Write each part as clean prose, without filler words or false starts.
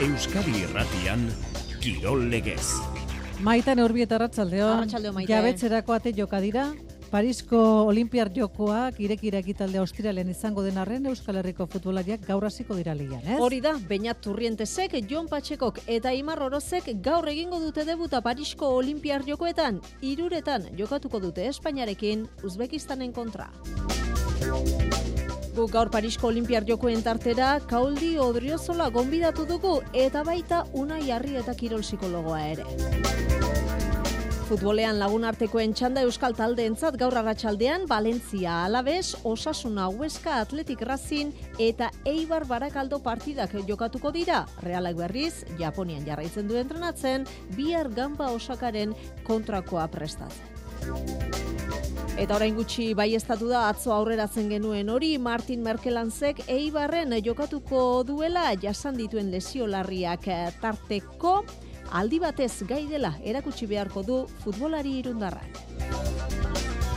Euskadi Irratian, Kirol Legez. Maitan Urbieta arratsaldeon. Arratsaldeon, Maite. Jabetzerako ate joka dira. Parisko Olinpiar Jokoak irekira ekitalde ostiralen izango den arren Euskal Herriko futbolariak gaur hasiko dira ligan, ez? Hori da, Beñat Turrientesek, Jon Patxekok eta Aimar Orozek gaur egingo dute debuta Parisko Olinpiar Jokoetan. 3 jokatuko dute Espainiarekin Uzbekistanen kontra. Guk gaur Parisko Olinpiar Jokoen tartera Kauldi Odriozola gonbidatu dugu eta baita Unai Arrieta kirol psikologoa ere. Futbolean lagunartekoen txanda euskal taldeentzat gaur arratsaldean Valentzia Alaves, Osasuna Huesca Athletic Racing eta Eibar Barakaldo partidak jokatuko dira. Realak berriz, Japonian jarraitzen du entrenatzen, bihar Gamba Osakaren kontrakoa prestatzen. Eta orain gutxi baieztatu da atzo aurreratzen genuen hori, Martin Merkelanzek Eibarren jokatuko duela jasan dituen lesio larriak tarteko, aldi batez gai dela erakutsi beharko du futbolari irundarrak.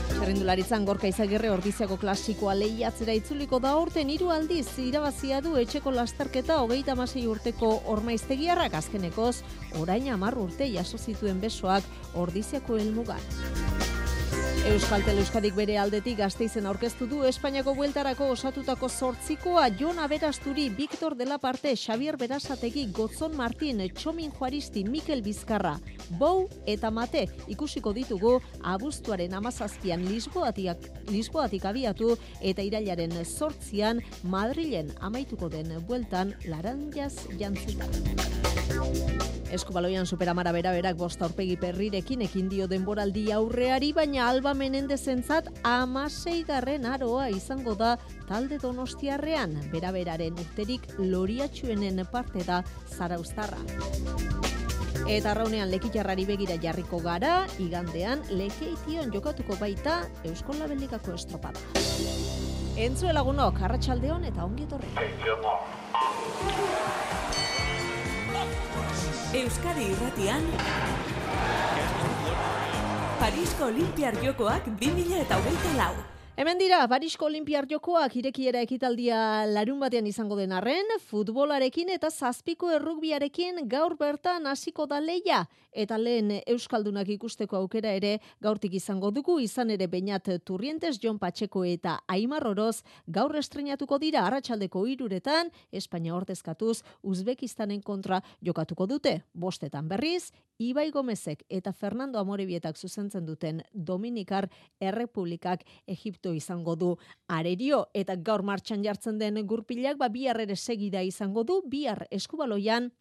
Txerrindularitzan Gorka Izagirre Ordiziako klasikoa lehiatzera itzuliko da aurten 3 aldiz irabazia du etxeko lasterketa 36 urteko Ormaiztegiarrak, azkenekoz orain 10 urte jaso zituen besoak Ordiziako helmugan. Euskaltel Euskadik bere aldetik Gasteizen aurkeztu du Espainiako bueltarako osatutako 8koa Jon Aberasturi, Victor de la Parte, Xavier Berasategi, Gotzon Martin, Txomin Juaristi, Mikel Bizkarra, Bou eta Mate ikusiko ditugu abuztuaren 17an Lisboatik abiatu eta irailaren 8an Madrilen amaituko den bueltan Laranjaz jantzita. Eskubaloian Superamara beraberak 5 aurpegi Perrirekin ekin dio denboraldi aurreari, baina Alba Menendezentzat 16. aroa izango da talde donostiarrean. Beraberaren urterik loriatxuenen parte da zarauztarra. Eta arraunean Lekitarrari begira jarriko gara, igandean Lekeition jokatuko baita Eusko Labelikako estropada. Entzue lagunok, arratsaldeon eta ongi etorri. Euskadi Irratian Parisko Olinpiar Jokoak 2024. Hemen dira, Parisko Olinpiar Jokoak irekiera ekitaldia larunbatean izango den arren, futbolarekin eta 7ko errugbiarekin gaur bertan hasiko da lehia. Eta lehen euskaldunak ikusteko aukera ere gaurtik izango dugu, izan ere Beñat Turrientes, Jon Patxeko eta Aimar Oroz gaur estrenatuko dira arratsaldeko 3 Espainia ordezkatuz Uzbekistanen kontra jokatuko dute. 5 berriz, Ibai Gomezek eta Fernando Amorebietak zuzentzen duten Dominikar Errepublikak Egipto izango du arerio, eta gaur martxan jartzen den gurpilak bihar ere segida izango du. Bihar eskubaloian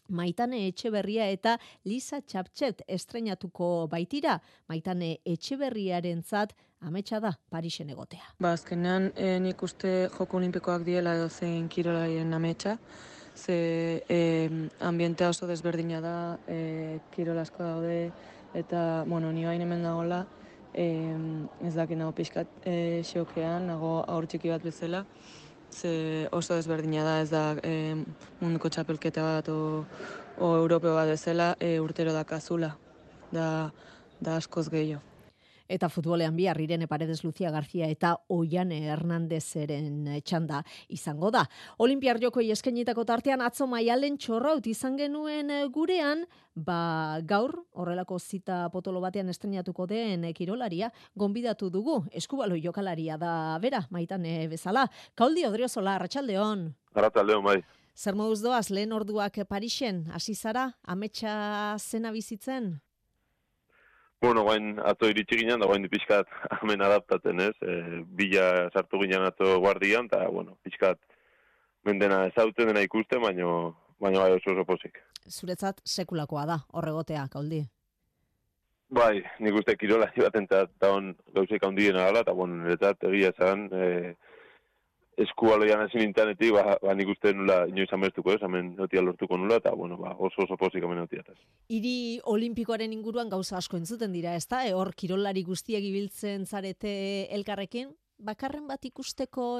Maitane Etxeberria eta Lisa Txaptxet estrenatuko baitira. Maitane Etxeberriarentzat ametsa da Parisen egotea. Azkenean nik uste Joko Olimpikoak diela edo zein kirolarien ametsa, ze ambientea oso desberdina da, kirol asko daude, eta ni hain hemen nagoela, ez dakit nago pixkat xokean, nago aur txiki bat bezala, ze oso desberdina da, ez da munduko txapelketa bat o europeo bat bezala, urtero dakazula, da askoz gehiago. Eta futbolean bihar Irene Paredes, Lucia García eta Oiane Hernandezeren txanda izango da. Olinpiar Jokoi eskainitako tartean atzo Maialen Txorraut izan genuen gurean, gaur horrelako zita potolo batean estrenatuko den kirolaria gonbidatu dugu. Eskubaloi jokalaria da bera, Maitane bezala. Kauldi Odriozola, arratsaldeon. Arratsaldeon, bai. Zer moduz doaz, lehen orduak Parisen, hasi zara, ametsa zena bizitzen? Guain atzo iritsi ginen, da guain pixkat hemen adaptatzen, ez? Bila sartu ginen atzo guardian, eta, pixkat mendena ezauten dena ikusten, baina bai oso pozik. Zuretzat sekulakoa da, horregotea, Kauldi? Bai, nik uste kirolari batentzat da gauzek handiena dela, eta, niretzat egia esan, eskubaloian ezin intanetik, nik uste nula inoiz amestuko ez, hemen notia lortuko nula, eta oso pozik hemen notiataz. Hiri olimpikoaren inguruan gauza asko entzuten dira, ezta? Hor kirolari guztiak ibiltzen zarete elkarrekin, bakarren bat ikusteko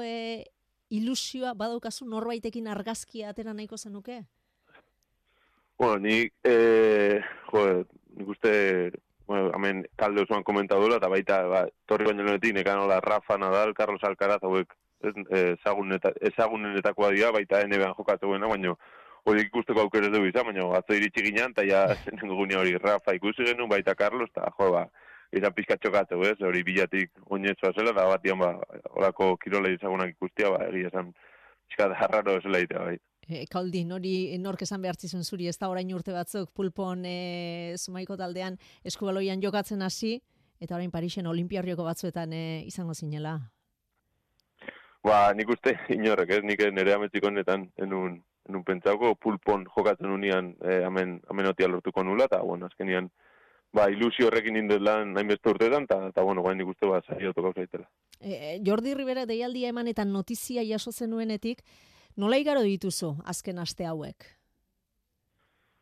ilusioa badaukazu norbaitekin argazkia atera nahiko zenuke? Nik uste, hemen talde osoan komentadura, eta baita torri baino lehenetik nekanola Rafa Nadal, Carlos Alcaraz, hauek ezagunenetakoa dira, baita NBA jokatu baina hori ikusteko aukera ez dugu izan, baina atzo iritsi ginen, eta ja zenengo gunea hori Rafa ikusi genuen, baita Carlos, eta izan pizka txokatu, ez, hori bilatik oinetzoa zela, da batian, horako kirola izagunak ikustia, egia esan pizka harraro esela itea, bai. Kaldi, nork esan behartzizun zuri, ez da orain urte batzuk pulpon Zumaiko taldean eskubaloian jokatzen hasi, eta orain Parisen Olimpiarrioko batzuetan izango zinela. Nik uste inorrek, ez, nik nire ametziko honetan enun pentsauko pulpon jokatzen unian amenotia lortuko nula, eta, azkenian, ilusio horrekin indut lan hainbeste urteetan, eta nik uste saiatu gauza itela. Jordi Rivera deialdia eman eta notizia jaso zenuenetik, nola igaro dituzu azken aste hauek?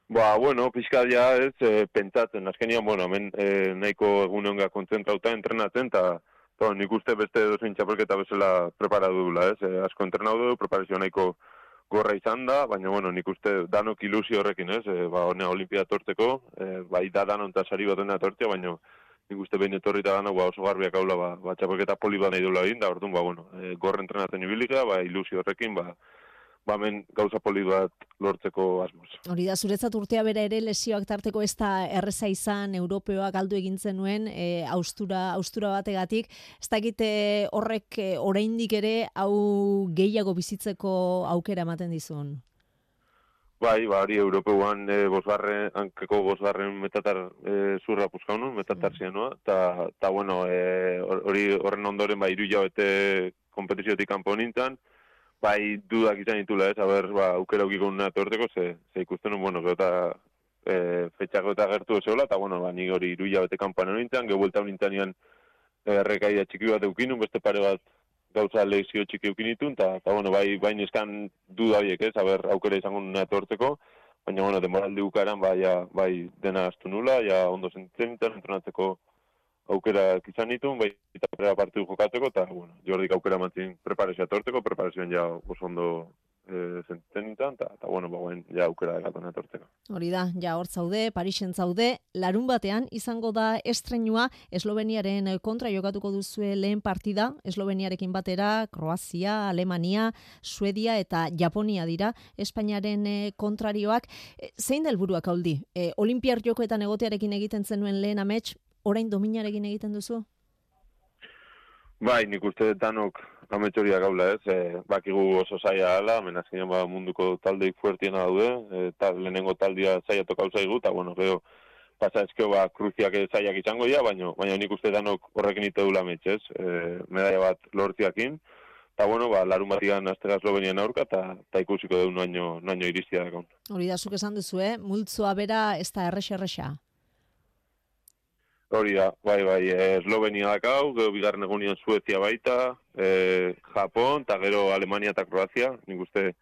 Pixkat ja ez, pentsatzen, azkenian, hemen nahiko eguneonga kontzentrauta entrenatzen, eta nik uste beste dozein txapelketa bezala preparatu dula, ez? Asko entrenatu du, preparazio nahiko gorra izan da, baina, nik uste danok ilusio horrekin, ez? Honea Olimpia tortzeko, da danon eta sari bat honea tortzea, baina nik uste behin etorri eta danok oso garbiak haula, txapelketa poli bat nahi dula egin, da orduan, gorra entrenatzen ibilika, ilusio horrekin, hemen gauza poli bat lortzeko asmoz. Hori da, zuretzat urtea bera ere lesioak tarteko ez da erreza izan, Europeoak galdu egintzen nuen, austura bategatik. Ez dakit horrek oraindik ere hau gehiago bizitzeko aukera ematen dizun? Hori Europeoan hankeko bosgarren metatar zurra puzkaunun, metatar zianua, eta hori horren ondoren 3 hilabete kompetiziotik kanpo nintzen, dudak izan ditula, ez, aukera aukiko nuna torteko, ze ikusten nuen, eta fetxako eta gertu zeola, eta, nik hori 3 hilabete kanpoan nintzen, gehuelta nintzen errekaia txiki bat eukinun, beste pare bat gauza lezio txiki eukinitun, eta, bain eskan duda horiek, ez, aukera izango nuna torteko, baina, demoraldi ukaran, dena astu nula, ondo zentzen, entrenatzeko aukera izan ditun, eta partidu jokatzeko, eta, Jordik aukera mantzin preparazioa torteko, preparazioan oso ondo zentzen nintzen, eta, aukera egatona torteko. Hori da, hor zaude, Parisen zaude, larun batean izango da estrenua, Esloveniaren kontra jokatuko duzue lehen partida, Esloveniarekin batera, Kroazia, Alemania, Suedia eta Japonia dira, Espainiaren kontrarioak. Zein da helburuak Kaldi? Olimpiar jokoetan egotearekin egiten zenuen lehen amets, orain dominarekin egiten duzu? Nik uste danok ametxoriak gaula, ez? Bakigu oso zaila ala, menazkinean munduko taldeik fuertiena daude, lehenengo taldia zaila tokau zaigu, eta, gero, pasa ezkeo kruziak zailak izango dira, baina nik uste danok horrekin ite dula ametxez, medaia bat lortziakin, eta, larun batigan aztega Eslovenian aurka, eta ikusiko du noaino iristia dakon. Hori da, zuk esan duzu, multzoa bera ez da errexa. Hori da, Eslovenia dakau, gero bigarren egunian Suezia baita, Japon, eta gero Alemania eta Kroazia. Nik uste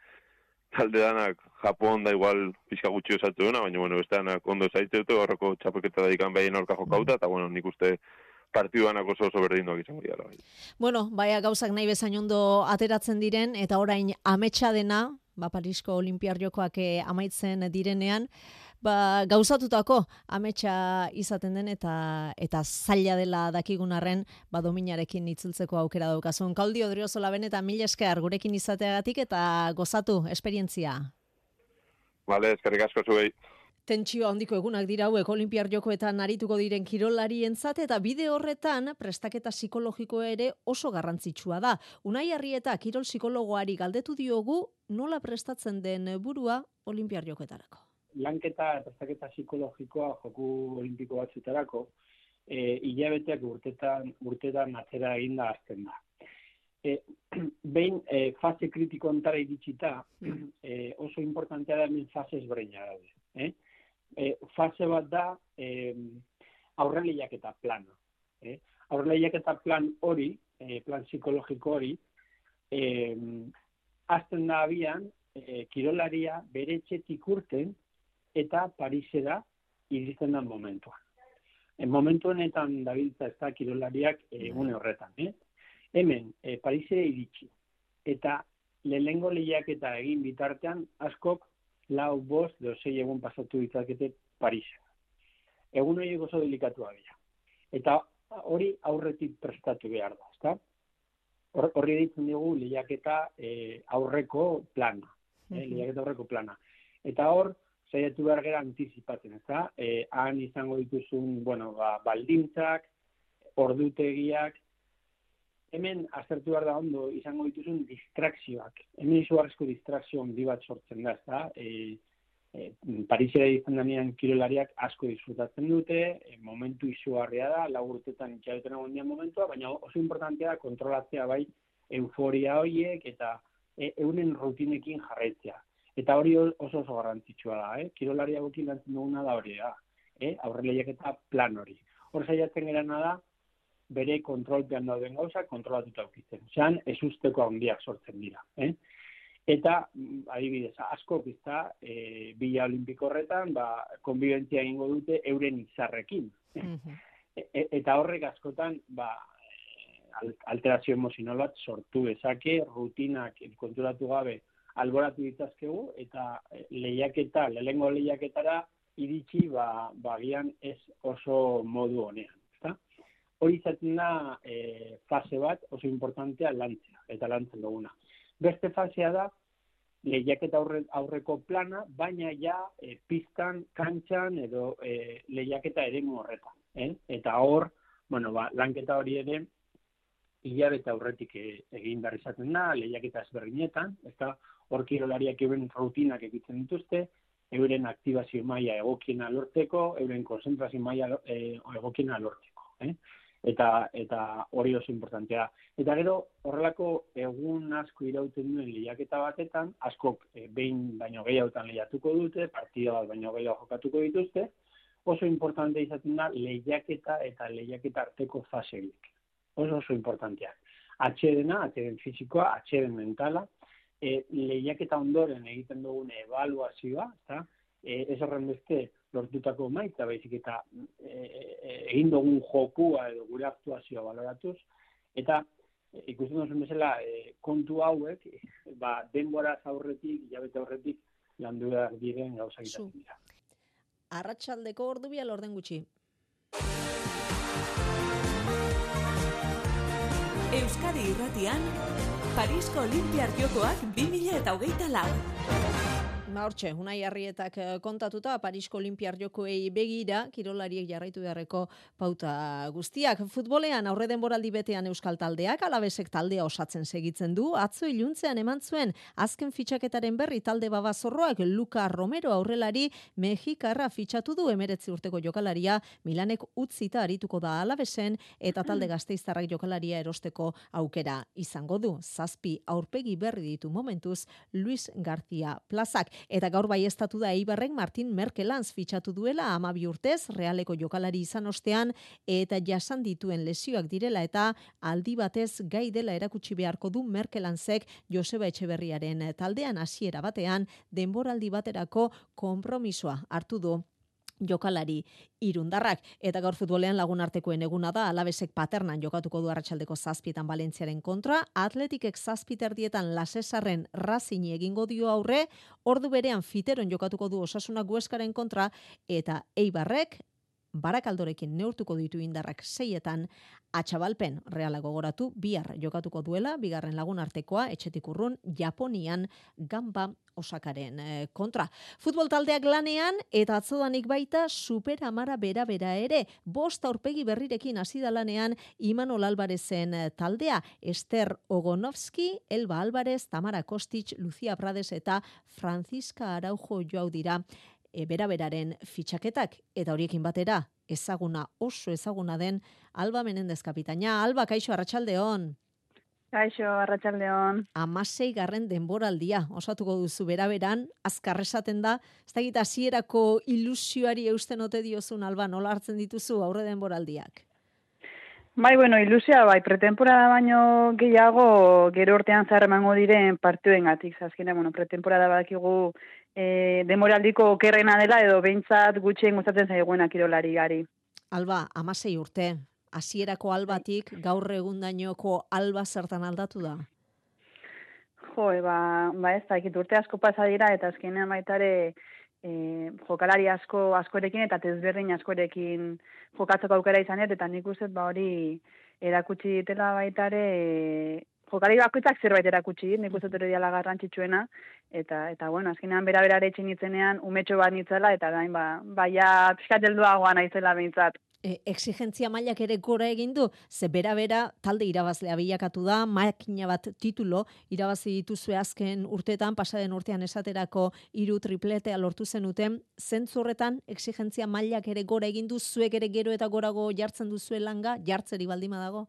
talde danak Japon da igual pixka gutxi osatu duna, baina beste danak ondo zaitze dute, horreko txapelketa daikan behien aurka jokauta, eta nik uste partidu danak oso berdinduak izango dira. Gauzak nahi bezain ondo ateratzen diren, eta orain ametsa dena, Parisko Olimpiar Jokoak amaitzen direnean, gauzatutako ametsa izaten den eta zaila dela dakigun arren dominarekin itzultzeko aukera daukazun. Kaldi Odriozola benetan mila esker gurekin izateagatik eta gozatu esperientzia. Eskerrik asko zuei. Tentsio handiko egunak dira hauek Olimpiar Jokoetan arituko diren kirolarien eta bide horretan prestaketa psikologiko ere oso garrantzitsua da. Unai Arrieta kirol psikologoari galdetu diogu nola prestatzen den burua Olimpiar Jokoetarako. Lanketa prestaketa psikologikoa joku olimpiko batzuetarako hilabeteak urtetan atzera eginda hasten da. Behin fase kritiko ontara iritsita oso importantea da hemen fase ezberdina daude. Fase bat da aurreleiaketa plana. Aurreleiaketa plan hori, plan psikologiko hori, hasten da abian kirolaria bere etxetik urten eta Parisera iristen da momentuan. Momentu honetan dabiltza ez da kirolariak egune horretan. Hemen, Parisera iritsi. Eta lehenengo lehiaketa egin bitartean askok 4-5 egun pasatu ditzakete Parisen. Egun horiek oso delikatua dira. Eta hori aurretik prestatu behar da, ezta? Horri ditzen dugu lehiaketa aurreko plana. Lehiaketa aurreko plana. Eta hor, saiatu behar gara antizipatzen, ezta? Han izango dituzun, baldintzak, ordutegiak, hemen aztertu behar da ondo izango dituzun distrakzioak. Hemen izugarrizko distrakzio handi bat sortzen da, ezta? Parisera izan denean kirolariak asko disfrutatzen dute, momentu izugarria da, 4 urtetan itxaroten egon dian momentua, baina oso importantea da kontrolatzea bai euforia horiek eta euren rutinekin jarraitzea. Eta hori oso garrantzitsua da, kirolariagokin lantzen duguna da hori da, aurreleiak eta plan hori. Hor saiatzen gerana da, bere kontrolpean dauden gauzak kontrolatuta aukitzen. Zean, ez usteko handiak sortzen dira. Eta, adibidez, asko pizta, Bila Olimpiko horretan, konbibentzia egingo dute euren izarrekin. Eta horrek askotan, alterazio emozional bat sortu dezake, rutinak konturatu gabe alboratu ditzazkegu, eta lehenengo lehiaketara iritsi, gian ez oso modu honean. Hori izaten da fase bat oso importantea lantzea, eta lantzen duguna. Beste fasea da, lehiaketa aurreko plana, baina ja piztan, kantxan edo lehiaketa eremu horretan. Eta hor, lanketa hori ere, hilabete aurretik egin behar izaten da, lehiaketa ezberdinetan, eta hor kirolariak euren rutinak egiten dituzte, euren aktibazio maila egokiena lortzeko, euren konzentrazio maila egokiena lortzeko. Eta hori oso importantea. Eta gero, horrelako egun asko irauten duen lehiaketa batetan, askok behin baino gehiagotan lehiatuko dute, partida bat baino gehiago jokatuko dituzte, oso importante izaten da lehiaketa eta lehiaketa arteko faseik. Oso importanteak. Atxeden fisikoa, atxeden mentala, lehiaketa ondoren egiten dugun ebaluazioa, ez horren beste lortutako maitza, baizik eta egin dugun jokua edo gure aktuazioa baloratuz, eta ikusten duzun bezala kontu hauek, denboraz aurretik, hilabete aurretik, landu behar diren gauzak izaten dira. Arratsaldeko ordu bia lorden gutxi. Euskadi Irratian, Parisko Olinpiar Jokoak 2024. Hortxe, Unai Arrietak kontatuta Parisko Olinpiar Jokoei begira kirolariek jarraitu beharreko pauta guztiak. Futbolean aurre denboraldi betean euskal taldeak, Alabesek taldea osatzen segitzen du. Atzo iluntzean eman zuen azken fitxaketaren berri talde babazorroak Luka Romero aurrelari Mexikarra fitxatu du 19 urteko jokalaria Milanek utzita arituko da Alabesen eta talde gasteiztarrak jokalaria erosteko aukera izango du. 7 aurpegi berri ditu momentuz Luis García Plazak. Eta gaur baieztatu da Eibarrek Martin Merkelanz fitxatu duela 12 urtez, Realeko jokalari izan ostean, eta jasan dituen lesioak direla eta aldi batez gai dela erakutsi beharko du Merkelanzek Joseba Etxeberriaren taldean hasiera batean denboraldi baterako konpromisoa hartu du jokalari irundarrak. Eta gaur futbolean lagunartekoen eguna da, Alabesek Paternan jokatuko du arratsaldeko 7etan Valentziaren kontra, Atletikek 7:30 Lasesarren Racing egingo dio aurre, ordu berean Fiteron jokatuko du Osasunak Hueskaren kontra, eta Eibarrek Barakaldorekin neurtuko ditu indarrak 6etan Atxabalpen Reala gogoratu bihar jokatuko duela, bigarren lagunartekoa etxetik urrun Japonian Gamba Osakaren kontra. Futbol taldeak lanean eta atzodanik baita Super Amara bera ere. 5 aurpegi berrirekin hasi da lanean Imanol Albarezen taldea. Ester Ogonovski, Elba Alvarez, Tamara Kostic, Lucia Prades eta Francisca Araujo joau dira bera-beraren fitxaketak, eta horiekin batera oso ezaguna den Alba Menendez kapitaina. Alba, kaixo, arratsaldeon. Kaixo, arratsaldeon. 16. denboraldia osatuko duzu bera-beran, azkar esaten da, ez dakit hasierako ilusioari eusten ote diozun, Alba, nola hartzen dituzu aurre denboraldiak? Bai, ilusioa, pretemporada baino gehiago gero urtean zahar emango diren partiduengatik. Azkenean, pretemporada badakigu denboraldiko okerrena dela edo behintzat gutxien gustatzen zaiguena kirolari gari. Alba, 16 urte, hasierako Albatik gaur egundainoko Alba zertan aldatu da? Ez dakit urte asko pasa dira eta azkenean baitare jokalari askorekin eta desberdin askorekin jokatzeko aukera izanet, eta nik uste hori erakutsi ditela baitare jokari bakoitzak zerbait erakutsi, nik uste hori dela garrantzitsuena, eta bueno, azkenean bera etxin nitzenean, umetxo bat nitzela, eta gain, baia pixkat helduagoa naizela behintzat. Exigentzia mailak ere gora egin du, ze bera talde irabazlea bilakatu da, makina bat titulo irabazi dituzue azken urteetan, pasaden urtean esaterako 3 tripletea lortu zenuten, zentzu horretan exigentzia mailak ere gora egin du, zuek ere gero eta gorago jartzen duzue langa, jartzeri baldima dago?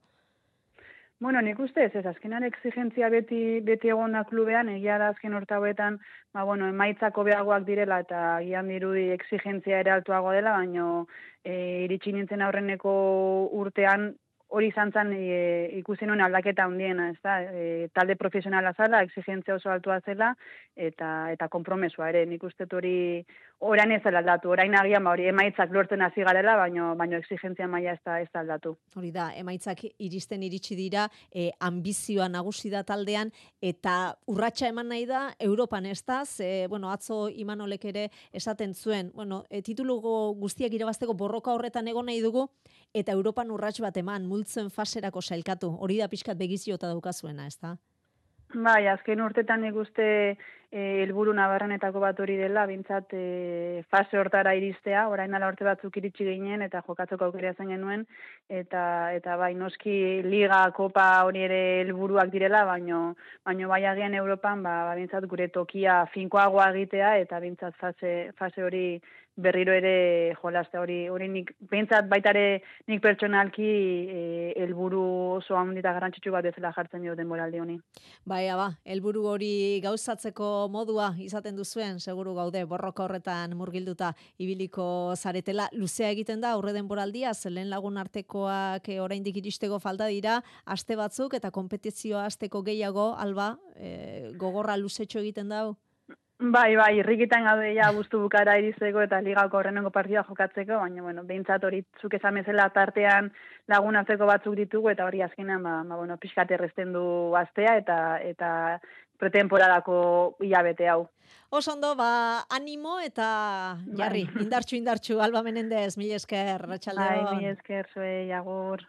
Bueno, nik ustez, azkenan exigentzia beti egon da klubean, egia da azken urte hauetan, emaitzako beagoak direla eta gian dirudi exigentzia ere altuago dela, baino iritsi nintzen aurreneko urtean hori izan zen ikusi nuen aldaketa handiena, ez da? Talde profesionala zela, exigentzia oso altua zela, eta konpromesua ere, nik uste hori orain ez dela aldatu, orain agian hori emaitzak lortzen hasi garela, baino exigentzia maila ez da aldatu. Hori da, emaitzak iritsi dira, ambizioa nagusi da taldean, eta urratsa eman nahi da, Europan ez da, atzo Imanolek ere esaten zuen, titulugo guztiak irabazteko borroka horretan egon nahi dugu, eta Europan urrats bat eman, multzen faserako sailkatu, hori da pixkat begiziota daukazuena, ez da? Bai, azken urtetan nik uste helburu nabarrenetako bat hori dela, bintzat fase hortara iristea, orain dela urte batzuk iritsi ginen, eta jokatzeko aukera zen genuen, eta bai, noski liga, kopa hori ere helburuak direla, baino bai agian Europan, bintzat gure tokia finkoagoa egitea, eta bintzat fase hori berriro ere jolaztea hori nik, bintzat baitare nik pertsonalki helburu oso handita garrantzitsu bat bezala jartzen dio denboraldi honi. Helburu hori gauzatzeko modua izaten duzuen, seguru gaude, borroka horretan murgilduta ibiliko zaretela. Luzea egiten da, aurre denboraldia, zelen lagun artekoak oraindik iristeko falta dira, aste batzuk eta kompetizioa asteko gehiago, Alba, gogorra luzetxo egiten da? Bai, irrikitan gaude ja guztu bukara iristeko eta ligako horrenengo partida jokatzeko, baina, behintzat hori zuk esan bezala tartean lagun arteko batzuk ditugu, eta hori azkenean, pixkat erresten du astea eta pretemporadako hilabete hau. Osondo, animo eta jarri, indartxu, Alba Menendez, mila esker, arratsaldeon. Mila esker, zuei, agur.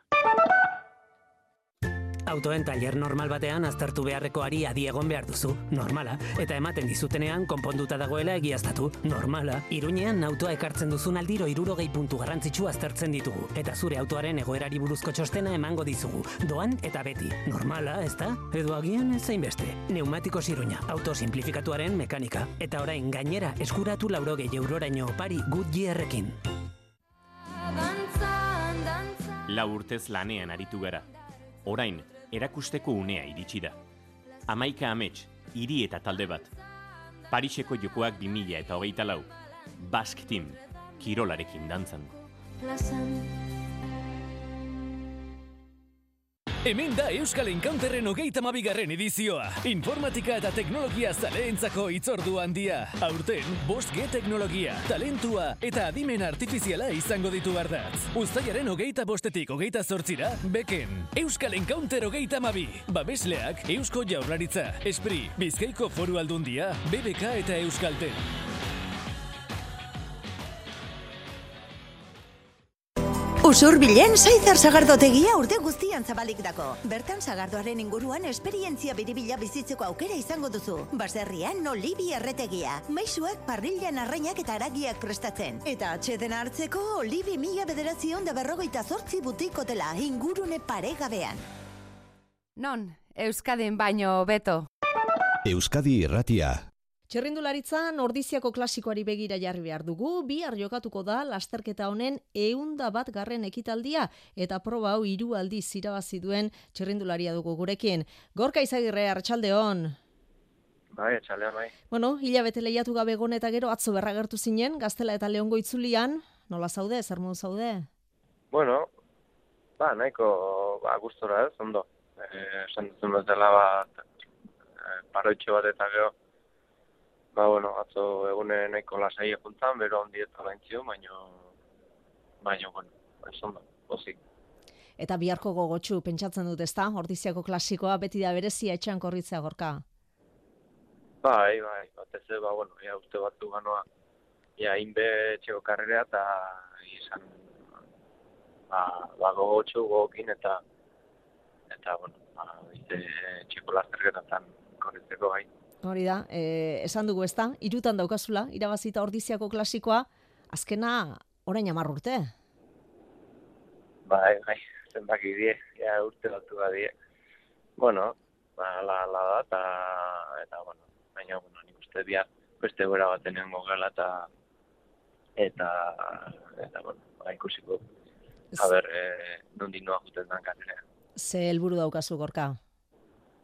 Autoen taller normal batean aztertu beharrekoari adi egon behar duzu, normala, eta ematen dizutenean konponduta dagoela egiaztatu, normala. Iruñean autoa ekartzen duzun aldiro 60 puntu garrantzitsu aztertzen ditugu, eta zure autoaren egoerari buruzko txostena emango dizugu, doan eta beti, normala, ezta? Edo agian ez zainbeste. Neumatikos Iruña, auto simplifikatuaren mekanika, eta orain gainera eskuratu 80 euroraino opari Goodyearrekin. 4 urtez lanean aritu gara. Orain, erakusteko unea iritsi da. 11 amets, hiri eta talde bat. Pariseko jokoak 2024. Basque Team, kirolarekin dantzan. Hemen da Euskal Encounterren 32. edizioa. Informatika eta teknologia zaleentzako hitzordu handia. Aurten, 5G teknologia, talentua eta adimen artifiziala izango ditu ardatz. Uztailaren 25-tik 28-ra, Beken. Euskal Encounter 32. Babesleak Eusko Jaurlaritza, Espri, Bizkaiko Foru Aldundia, BBK eta Euskaltel. Usurbilen Saizar sagardotegia urte guztian zabalik dako. Bertan sagardoaren inguruan esperientzia biribila bizitzeko aukera izango duzu. Baserrian Olibi erretegia. Maisuak parrillan arrainak eta aragiak prestatzen. Eta atxeden hartzeko Olibi 1948 butik hotela ingurune paregabean. Non, Euskadin baino beto. Euskadi Irratia. Txirrindularitzan ordiziako klasikoari begira jarri behar dugu, bihar jokatuko da lasterketa honen 101. ekitaldia, eta proba hau 3 aldiz irabazi duen txirrindularia dugu gurekin. Gorka Izagirre, arratsaldeon. Bai, arratsaldeon, bai. Hilabete lehiatu gabe egon eta gero atzo berragertu zinen, Gaztela eta Leongo itzulian, nola zaude, zer modu zaude? Nahiko, gustora ez, ondo. Esan duzun bezala paroitxo bat eta gero, atzo egune nahiko lasai eguntan, bero ondi eta laintziu, baino, ez ondo, pozik. Eta biharko gogotxu, pentsatzen dut, ezta? Ordiziako klasikoa beti da berezia etxean korritzea, Gorka. Bai, batez, uste batzu ganoa, inbe etxeko karrerea, eta izan, gogotxu gogokin, eta txiko lasterketatan korritzeko gai. Hori da, esan dugu ezta, 3 daukazula, irabazita Ordiziako klasikoa, azkena orain 10 urte. Bai, zenbaki die, ja urte batu badie. Bueno, ala da, eta bueno, baina, nik uste bihar beste gora baten egongo gela, eta bueno, ikusiko, nondik noa juten dan karrerea. Ze helburu daukazu, Gorka?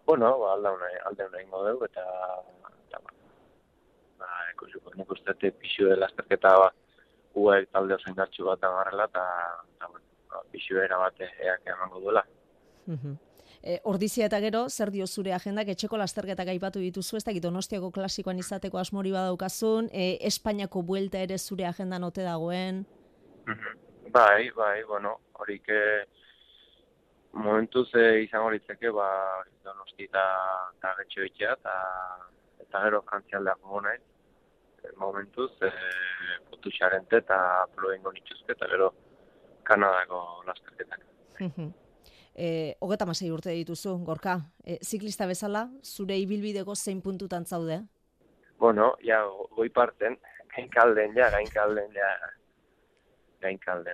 Bueno, alde una ingo dugu, eta ikusiko, nik uste pixue lasterketa uek talde oso indartxu bat agarrela, eta pixuera bat eak emango duela. Ordizia eta gero, zer dio zure agendak, etxeko lasterketak aipatu dituzu, ez dakit Donostiako klasikoan izateko asmori badaukazun, Espainiako buelta ere zure agendan ote dagoen? Bai, bueno, horik momentuz izango litzeke, Donosti eta Getxoetxea, eta gero frantzialdeak gogo naiz. Momentuz, Potuxarente eta Ploengo nituzke, eta gero Kanadako lasterketak. 36 urte dituzu, Gorka. Ziklista bezala, zure ibilbideko zein puntutan zaude? Bueno, ja, goi parten, gainkalden,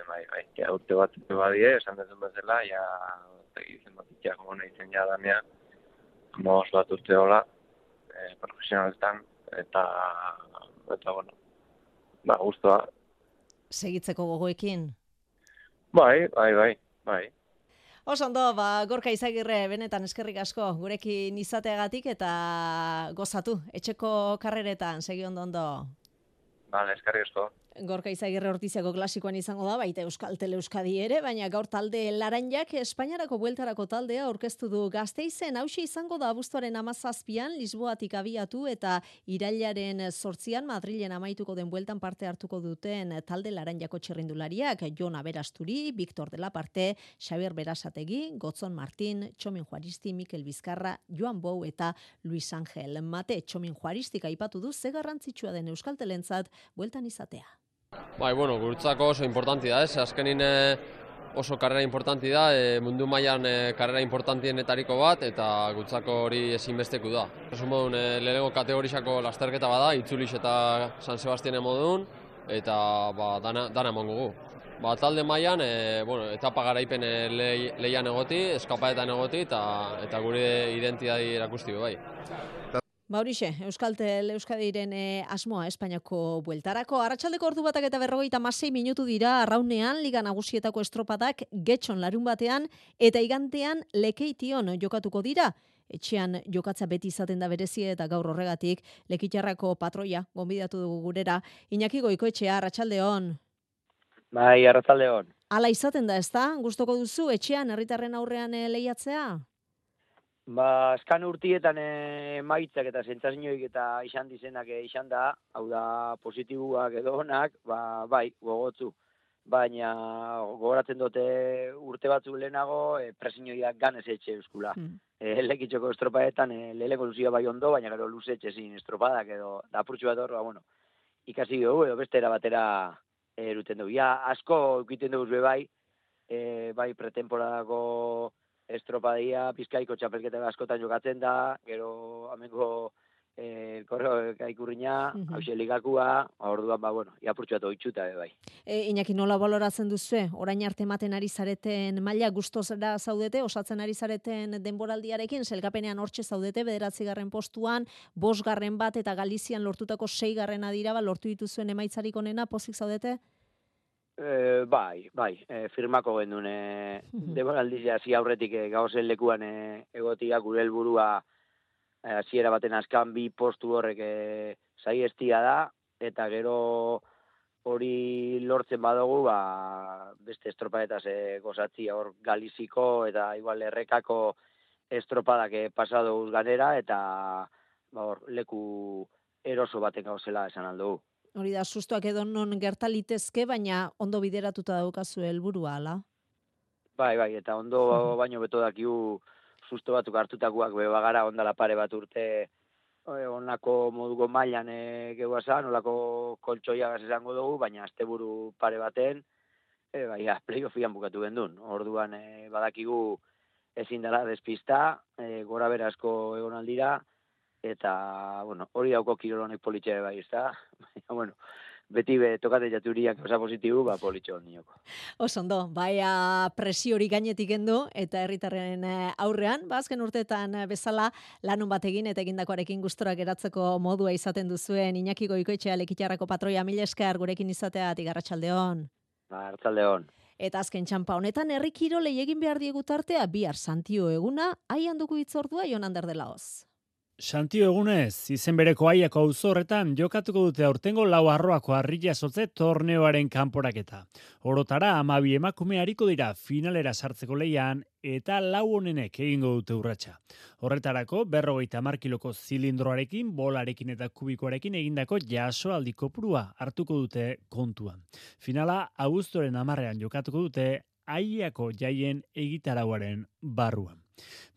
bai. Ja, urte bat badie, esan dezun bezala, ja, izen bat itxak gona izen ja danea, 15 bat urte hola, profesionaletan, eta bueno, guztua. Segitzeko gogoekin? Bai. Oso ondo, Gorka Izagirre, benetan eskerrik asko, gurekin izateagatik eta gozatu, etxeko karreretan, segi ondo. Vale, eskerrik asko. Gorka Izagirre Ordiziako klasikoan izango da, baita Euskal Tele Euskadi ere, baina gaur talde Laranjak Espainiarako bueltarako taldea aurkeztu du Gasteizen. Hauxe izango da abuztuaren 17an Lisboatik abiatu eta irailaren 8an Madrilen amaituko den bueltan parte hartuko duten talde Laranjako txirrindulariak, Jon Aberasturi, Victor de la Parte, Xabier Berasategi, Gotzon Martin, Txomin Juaristi, Mikel Bizkarra, Joan Bou eta Luis Angel Mate. Txomin Juaristik aipatu du ze garrantzitsua den Euskal Telentzat bueltan izatea. Bai, bueno, guretzako oso importanti da, azkenin oso karrera importanti da, mundu mailan karrera importantienetariko bat, eta guretzako hori ezinbesteku da. Oso modun, lehenengo kategorizako lasterketa bada, Itzulix eta San Sebastianen modun, eta dana emango gu. Talde mailan, etapa garaipen lehian egoti, eskapaetan egoti, eta gure identidadi erakusti bai. Horixe, Euskaltel Euskadiren asmoa Espainiako bueltarako. Arratsaldeko ordu 1:46 minutu dira arraunean Liga Nagusietako estropadak Getxon larunbatean eta igantean Lekeition jokatuko dira. Etxean jokatza beti izaten da berezia eta gaur horregatik Lekitarrako patroia gonbidatu dugu gurera. Iñaki Goikoetxea, arratsaldeon. Bai, arratsaldeon. Hala izaten da, ezta? Gustoko duzu etxean herritarren aurrean lehiatzea? Eskan urtietan emaitzak eta sentsazioik eta izan dizenak izan da, hau da positiboak edo onak, bai, gogotzu. Baina gogoratzen dute urte batzuk lehenago presioiak ganez etxe euskula. Lekitzoko estropadetan lehenko luzia bai ondo, baina gero luze etxezin estropadak edo apurtxu bat hor, ikasi dugu edo beste batera eruten dugu. Ja, asko egiten dugu bai pretemporadako estropadia, Bizkaiko txapelketa askotan jokatzen da, gero amengo korreo kaikurriña, hauxe ligakua, orduan, iapurtxuat oitxuta bai. Iñaki, nola baloratzen duzu? Orain arte ematen ari zareten maila gustozera zaudete, osatzen ari zareten denboraldiarekin, selkapenean hortxe zaudete, 9. postuan, 5. bat eta Galizian lortutako 6. dira, lortu dituzuen emaitzarik onena, pozik zaudete? Bai, firmako gendun denboraldia hasi aurretik gauzen lekuan egotia gure helburua hasiera baten azkan 2 postu horrek saiestia da, eta gero hori lortzen badugu beste estropadetaz gozatzia hor Galiziko eta igual errekako estropadak pasado ganera, eta leku eroso baten gauzela esan aldugu. Hori da, sustoak edo non gertalitezke, baina ondo bideratuta daukazu helburua, ala? Bai, eta ondo baino beto dakigu susto batzuk hartutakoak bagara ondala pare bat urte onako moduko mailan gehuazan, onako koltsoiagaz esango dugu, baina asteburu pare baten, playoffian bukatu gendun. Orduan badakigu ezin dela despista, gora berazko egon aldira, eta, bueno, hori dauko kirol honek politxe bai, ezta? Bueno, beti tokate jaturiak osa positibu, politxo nioko. Osondo, baia presio hori gainetik kendu eta herritarren aurrean, azken urteetan bezala lanun bat egin eta egindakoarekin gustora geratzeko modua izaten duzuen Iñaki Goikoetxea Lekitarrako patroia, mila esker gurekin izateagatik, arratsaldeon. Arratsaldeon. Eta azken txanpa honetan herri kirolei egin behar diegu tartea bihar Santio eguna, aian dugu hitzordua Jon Ander de Laoz. Santio egunez, izen bereko aiako auzo horretan jokatuko dute aurtengo lau arroako harria sotze torneoaren kanporaketa. Orotara 12 emakume ariko dira finalera sartzeko lehian eta lau honenek egingo dute urratsa. Horretarako 50 kiloko zilindroarekin, bolarekin eta kubikoarekin egindako jasoaldi kopurua hartuko dute kontuan. Finala abuztuaren 10ean jokatuko dute aiako jaien egitarauaren barruan.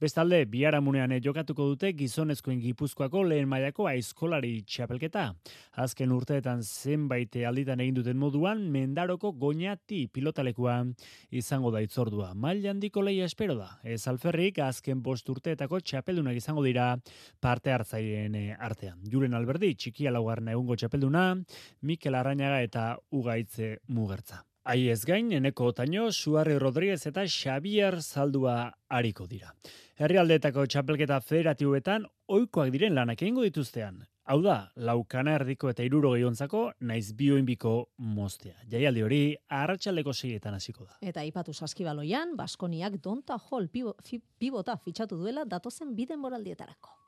Bestalde, biharamunean jokatuko dute gizonezkoen Gipuzkoako lehen mailako aizkolari txapelketa. Azken urteetan zenbait alditan egin duten moduan, Mendaroko Goñati pilotalekua izango da hitzordua. Maila handiko lehia espero da. Ez alferrik, azken 5 urteetako txapeldunak izango dira parte hartzaileen artean. Julen Alberdi, txikia laugarren egungo txapelduna, Mikel Arrañaga eta Ugaitze Mugertza. Aiez gain, Eneko Otaño, Suarri Rodríguez eta Xavier Zaldua ariko dira. Herrialdeetako txapelketa federatiboetan ohikoak diren lanak egingo dituztean. Hau da, laukana erdiko eta 60 ontzako naiz bioinbiko moztea. Jaialdi hori arratsaldeko 6etan hasiko da. Eta aipatu Saskibaloian, Baskoniak Donta Hall pibota fitxatu duela datozen 2 denboraldietarako.